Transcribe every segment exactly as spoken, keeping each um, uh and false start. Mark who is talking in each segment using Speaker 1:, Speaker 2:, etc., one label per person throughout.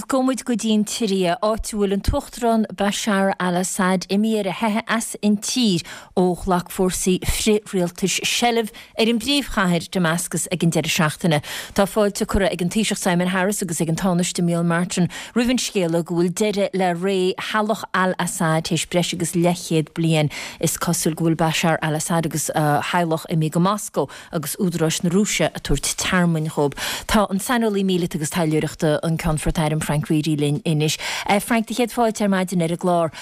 Speaker 1: Agus gabhfaidh muid go dtí an tSiria, áit a bhfuil an tUachtarán Bashar al-Assad imithe ar a theitheadh as an tír ó ghlac fórsaí frith-rialtais seilbh ar an bpríomhchathair Damascus ag an deireadh seachtaine. Tá fáilte curtha ag an Taoiseach Simon Harris agus ag an Tánaiste Micheál Martin roimh an scéala go bhfuil deireadh le ré theaghlach al-Assad théis breis agus leathchéad bliain. Is cosúil go bhfuil Bashar al-Assad agus a theaghlach imithe go Moscó agus údaráis na Rúise ag tabhairt tearmainn dhóibh. Tá an saineolaí míleata agus taidhleoireachta an Ceannfort Airm Frank Reidy linn anois. Frank, do chéad fáilte ar maidin ar an gclár.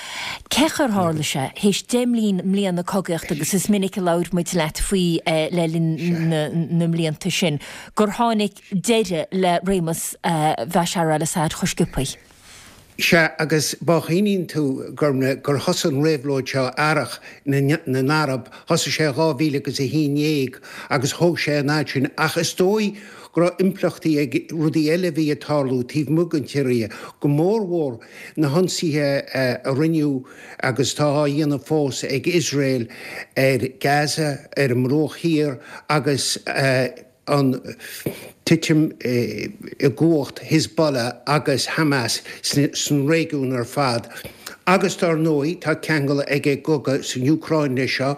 Speaker 1: Cén chaoi ar tharla sé, théis deich mbliana cogaíochta agus is minic a labhair muid leat faoi le linn na mblianta sin, gur tháinig deireadh le réimeas Bhashar al-Assad chomh sciobtha.
Speaker 2: Sea, agus má chuimhníonn tú gur gur thosaigh an réabhlóid seo, Earrach na nArab, thosaigh sé dhá mhíle agus a haon déag agus thóg sé an fhad sin, ach is dóigh go raibh impleachtaí ag rudaí eile a bhí ag tarlú taobh amuigh den tSiria, go mórmhór na hionsaithe a rinneadh agus atá á dhéanamh fós ag Iosrael ar Gaza, ar an mBruach Thiar agus an titim i gcumhacht Hezbollah agus Hamas san réigiún ar fad. Agus dar ndóigh tá ceangal ag an gcogadh san Úcráin leis seo.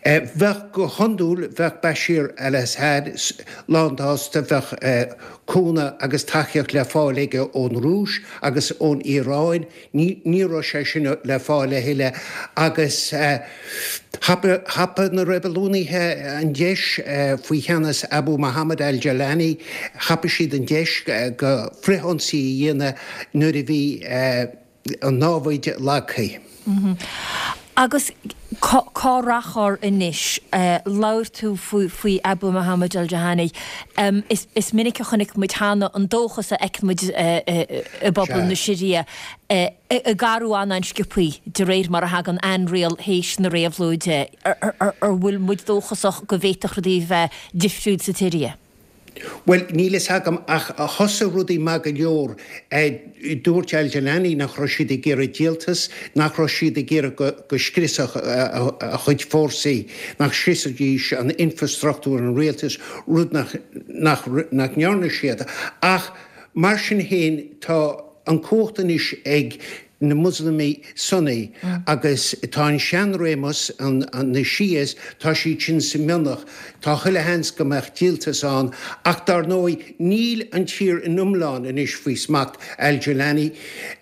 Speaker 2: Bheadh, go hiondúil, bheadh Bashir al-Assad lánsásta, bheadh cúnamh agus tacaíocht le fáil aige ón Rúis agus ón Iaráin. Ní raibh sé sin le fáil a thuilleadh agus thapaigh na reibiliúnaithe an deis faoi cheannas Abu Mohammed al-Jolani, thapaigh siad an deis go frithionsaí a dhéanamh nuair a bhí an námhaid lagtha.
Speaker 1: Agus cá rachfar anois? Labhair tú faoi Abu Mohammed al-Jolani. Is minic a chonaic muid cheana an dóchas a fheiceann muid i bpobal na Siria ag athrú an-an-sciobtha de réir mar a thagann ainriail théis na réabhlóide. An bhfuil muid dóchasach go bhféadfadh rudaí a bheith difriúil sa tSiria?
Speaker 2: Bhuel, níl fhios agam, ach thosaigh rudaí maith go leor. Dúirt al-Jolani nach raibh siad ag iarraidh díoltas, nach raibh siad ag iarraidh go scriosfadh a chuid fórsaí, nach scriosfaidís an infreastruchtúr an rialtais, rud nach nach ndearna siad. Ach mar sin féin, tá an cumhacht anois ag na Muslamaigh Sunni agus tá an seanréimeas, na Shias, tá siad sin sa mionlach. Tá chuile sheans go mbeadh díoltas ann ach dar ndóigh níl an tír in iomlán anois faoi smacht al-Jolani.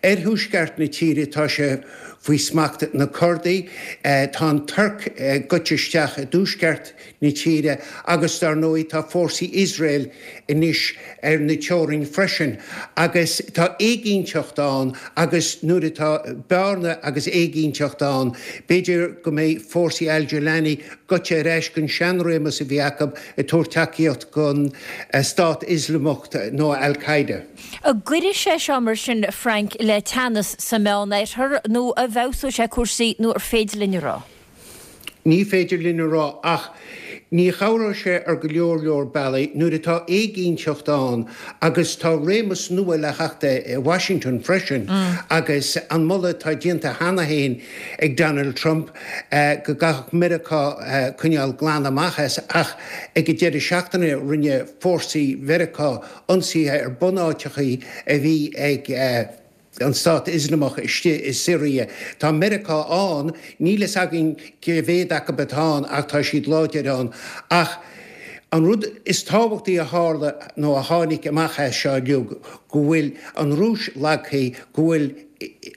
Speaker 2: Ar thuaisceart na tíre tá sé faoi smacht na Kurdaigh, tá an Tuirc gaibhte isteach i dtuaisceart na tíre agus dar ndóigh tá fórsaí Iosrael anois ar na teorainn freisin agus tá éiginnteacht ann agus nuair atá bearna agus éiginnteacht ann b'fhéidir go mbeidh fórsaí al-Jolani gaibhte ar ais gon seanréimeas a bhí acu ag tabhairt tacaíocht gon Stát Ioslamach nó al-Qaeda.
Speaker 1: An gcuirfidh sé seo mar sin, Frank, le teannas sa Meánoirthear nó an bhfeabhsóidh sé cúrsaí nó ar féidir linn a rá?
Speaker 2: Ní féidir linn a rá, ach ní chabhróidh sé ar go leor leor bealaí nuair atá éiginnteacht ann agus tá réimeas nua le theacht i Washington freisin agus an moladh atá déanta cheana féin ag Donald Trump go gcaithfeadh Meiriceá coinneáil glan amach as ach ag an deireadh seachtaine rinne fórsaí Mheiriceá ionsaithe ar bunáiteachaí a bhí ag an Stát Ioslamach istigh i Siria. Tá Meiriceá ann, níl fhios againn cé mhéad acu atá ann ach tá siad láidir ann. Ach an rud is tábhachtaí a tharla nó a tháinig amach as seo uilig go bhfuil an Rúis lagtha, go bhfuil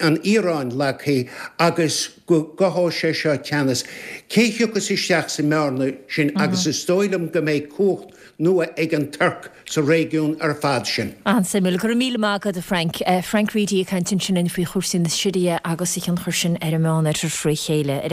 Speaker 2: an Iaráin lagtha agus go gcothóidh sé seo teannas. Cé thiocfas isteach sa mbearna sin agus is dóigh liom go mbeidh cumhacht nua ag an Tuirc sa réigiún ar fad sin.
Speaker 1: An-suimiúil. Go raibh míle maith agat, a Frank. Frank Reidy ag caint ansin faoi chúrsaí na Siria agus a thionchar sin ar an Meánoirthear fré chéile.